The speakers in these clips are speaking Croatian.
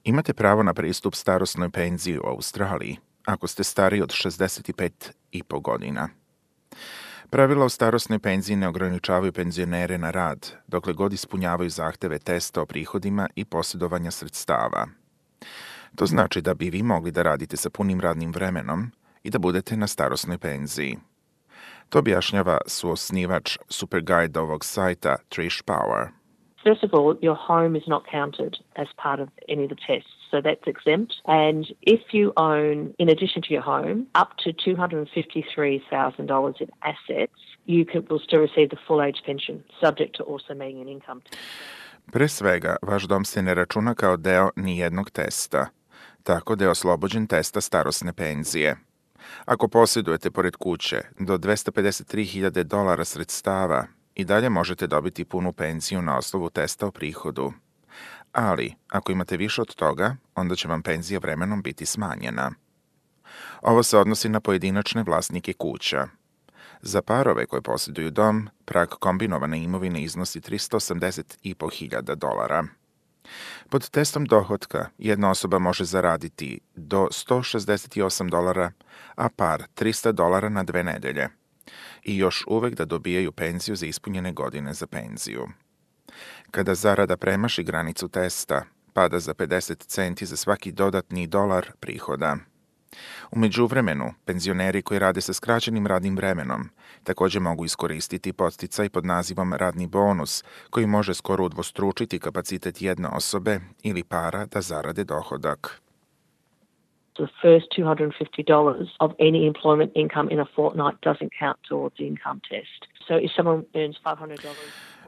Imate pravo na pristup starosnoj penziji u Australiji ako ste stariji od 65,5 godina. Pravila o starosnoj penziji ne ograničavaju penzionere na rad, dokle god ispunjavaju zahteve testa o prihodima i posjedovanja sredstava. To znači da bi vi mogli da radite sa punim radnim vremenom i da budete na starosnoj penziji. To objašnjava suosnivač Superguide ovog sajta Trish Power. First of all, your home is not counted as part of any of the tests, so that's exempt. And if you own, in addition to your home, up to $253,000 in assets, will still receive the full age pension, subject to also meeting an income test. Pre svega, vaš dom se ne računa kao deo nijednog testa, tako da je oslobođen testa starosne penzije. Ako posjedujete pored kuće do $253,000 sredstava, i dalje možete dobiti punu penziju na osnovu testa o prihodu. Ali, ako imate više od toga, onda će vam penzija vremenom biti smanjena. Ovo se odnosi na pojedinačne vlasnike kuća. Za parove koje posjeduju dom, prag kombinovane imovine iznosi $380,500. Pod testom dohotka jedna osoba može zaraditi do $168, a par $300 na 2 nedelje. I još uvek da dobijaju penziju za ispunjene godine za penziju. Kada zarada premaši granicu testa, pada za 50 centi za svaki dodatni dolar prihoda. U međuvremenu, penzioneri koji rade sa skraćenim radnim vremenom također mogu iskoristiti podsticaj pod nazivom radni bonus, koji može skoro udvostručiti kapacitet jedne osobe ili para da zarade dohodak. The first $250 of any employment income in a fortnight doesn't count towards the income test. So if someone earns $500...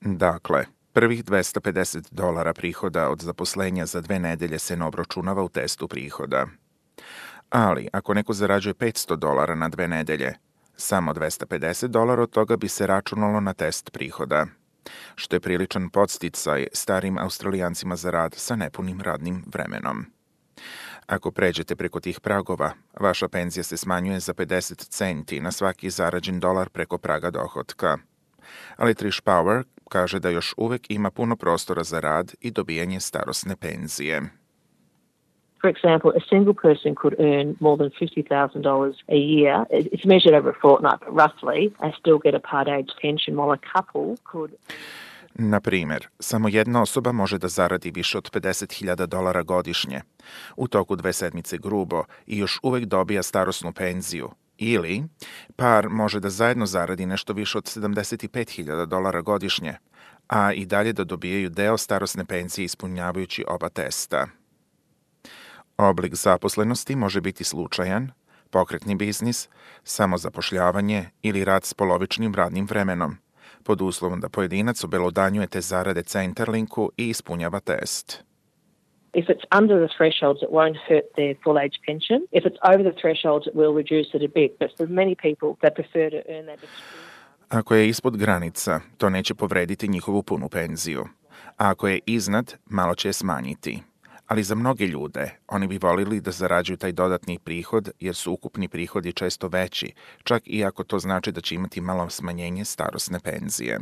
Dakle, prvih $250 prihoda od zaposlenja za 2 nedelje se ne obračunava u testu prihoda. Ali, ako neko zarađuje $500 na 2 nedelje, samo $250 od toga bi se računalo na test prihoda, što je priličan podsticaj starim Australijancima za rad sa nepunim radnim vremenom. Ako pređete preko tih pragova, vaša penzija se smanjuje za 50 centi na svaki zarađen dolar preko praga dohotka. Ali Trish Power kaže da još uvek ima puno prostora za rad i dobijanje starosne penzije. For example, a single person could earn more than $50,000 a year. It's measured over a fortnight, but roughly, and still get a part age pension, while a couple could... Na primjer, samo jedna osoba može da zaradi više od $50,000 godišnje, u toku 2 sedmice grubo, i još uvek dobija starosnu penziju. Ili, par može da zajedno zaradi nešto više od $75,000 godišnje, a i dalje da dobijaju deo starosne penzije ispunjavajući oba testa. Oblik zaposlenosti može biti slučajan, pokretni biznis, samozapošljavanje ili rad s polovičnim radnim vremenom, pod uslovom da pojedinac obelodanjuje te zarade Centrelinku i ispunjava test. If it's under the thresholds, it won't hurt their full age pension. If it's over the thresholds, it will reduce it a bit. But for many people, they prefer to earn that extra. Ako je ispod granica, to neće povrediti njihovu punu penziju. A ako je iznad, malo će je smanjiti. Ali za mnoge ljude, oni bi volili da zarađuju taj dodatni prihod jer su ukupni prihodi često veći, čak i ako to znači da će imati malo smanjenje starosne penzije.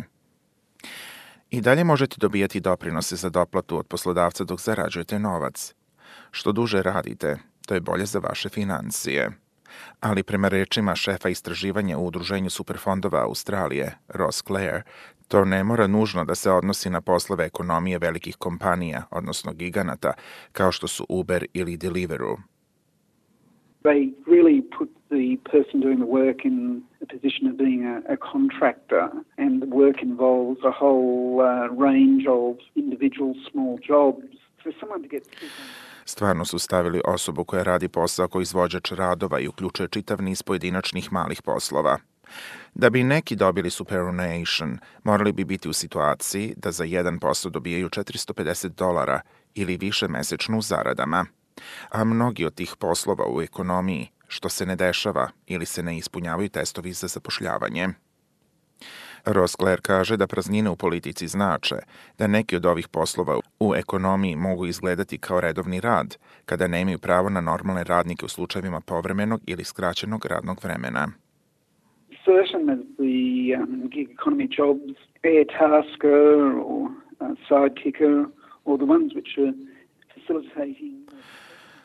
I dalje možete dobijati doprinose za doplatu od poslodavca dok zarađujete novac. Što duže radite, to je bolje za vaše financije. Ali prema rečima šefa istraživanja u Udruženju superfondova Australije, Ross Clare, to ne mora nužno da se odnosi na poslove ekonomije velikih kompanija, odnosno giganata, kao što su Uber ili Deliveroo. They really put the person doing the work in a position of being a contractor, and the work involves a whole range of individual small jobs. For someone to get Stvarno su stavili osobu koja radi posao kao izvođač radova i uključuje čitav niz pojedinačnih malih poslova. Da bi neki dobili superannuation, morali bi biti u situaciji da za jedan posao dobijaju $450 ili više mesečno u zaradama. A mnogi od tih poslova u ekonomiji, što se ne dešava ili se ne ispunjavaju testovi za zapošljavanje. Ross Clare kaže da praznine u politici znače da neki od ovih poslova u ekonomiji mogu izgledati kao redovni rad, kada nemaju pravo na normalne radnike u slučajevima povremenog ili skraćenog radnog vremena. Certain as the gig economy jobs, air tasker or sidekicker, or the ones which are facilitating.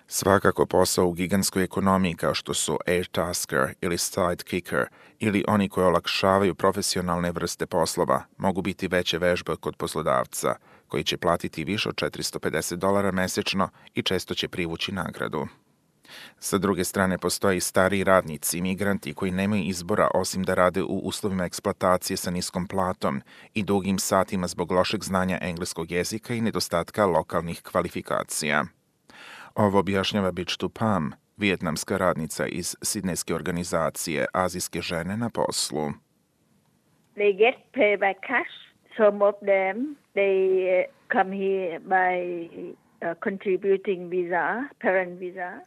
Svakako posao u gigantskoj ekonomiji kao što su Airtasker ili Sidekicker ili oni koji olakšavaju profesionalne vrste poslova mogu biti veće vežbe kod poslodavca koji će platiti više od $450 mesečno i često će privući nagradu. Sa druge strane, postoje i stariji radnici, migranti koji nemaju izbora osim da rade u uslovima eksploatacije sa niskom platom i dugim satima zbog lošeg znanja engleskog jezika i nedostatka lokalnih kvalifikacija. Ovo objašnjava Bichtu Pham, vijetnamska radnica iz sidnejske organizacije Azijske žene na poslu. They get paid by cash. Some of them, they come here by contributing visa, parent visa.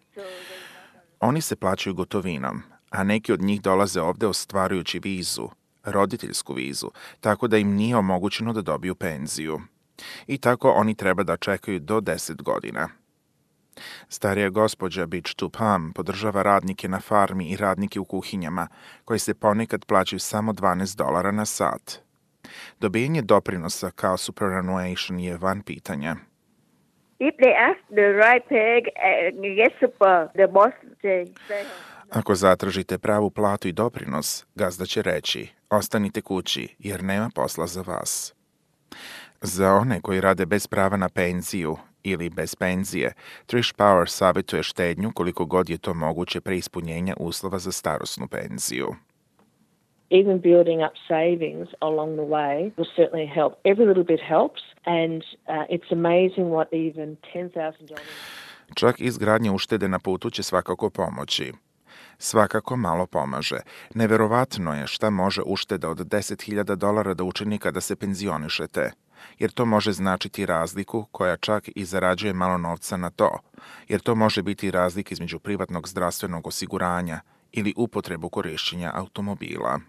Oni se plaćaju gotovinom, a neki od njih dolaze ovde ostvarujući vizu, roditeljsku vizu, tako da im nije omogućeno da dobiju penziju. I tako oni treba da čekaju do 10 godina. Starija gospođa Bichtu Pham podržava radnike na farmi i radnike u kuhinjama, koji se ponekad plaćaju samo $12 na sat. Dobijanje doprinosa kao superannuation je van pitanja. If they ask the right pay, get super, the boss say. Ako zatražite pravu platu i doprinos, gazda će reći, ostanite kući jer nema posla za vas. Za one koji rade bez prava na penziju ili bez penzije, Trish Power savjetuje štednju koliko god je to moguće pre ispunjenja uslova za starosnu penziju. Even building up savings along the way will certainly help. Every little bit helps, and it's amazing what even $10,000... Čak izgradnja uštede na putu će svakako pomoći. Svakako malo pomaže. Neverovatno je šta može ušteda od $10,000 da učini kada se penzionišete, jer to može značiti razliku koja čak i zarađuje malo novca na to, jer to može biti razlika između privatnog zdravstvenog osiguranja ili upotrebu korišćenja automobila.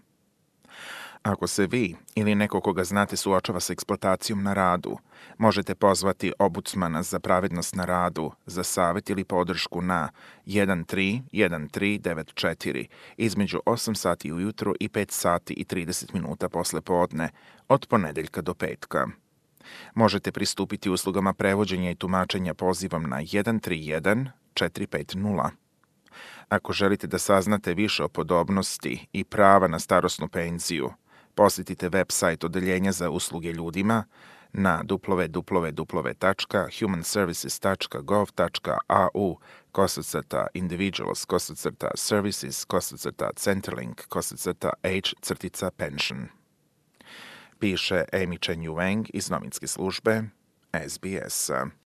Ako se vi ili neko koga znate suočava sa eksploatacijom na radu, možete pozvati Ombudsmana za pravednost na radu za savjet ili podršku na 131394 između 8 sati ujutru i 5 sati i 30 minuta posle podne od ponedeljka do petka. Možete pristupiti uslugama prevođenja i tumačenja pozivom na 131450. Ako želite da saznate više o podobnosti i prava na starosnu penziju, posjetite website Odeljenja za usluge ljudima na www.humanservices.gov.au/individuals/services/centerlink/h-pension. Piše Amy Chen Yu Wang iz novinske službe SBS.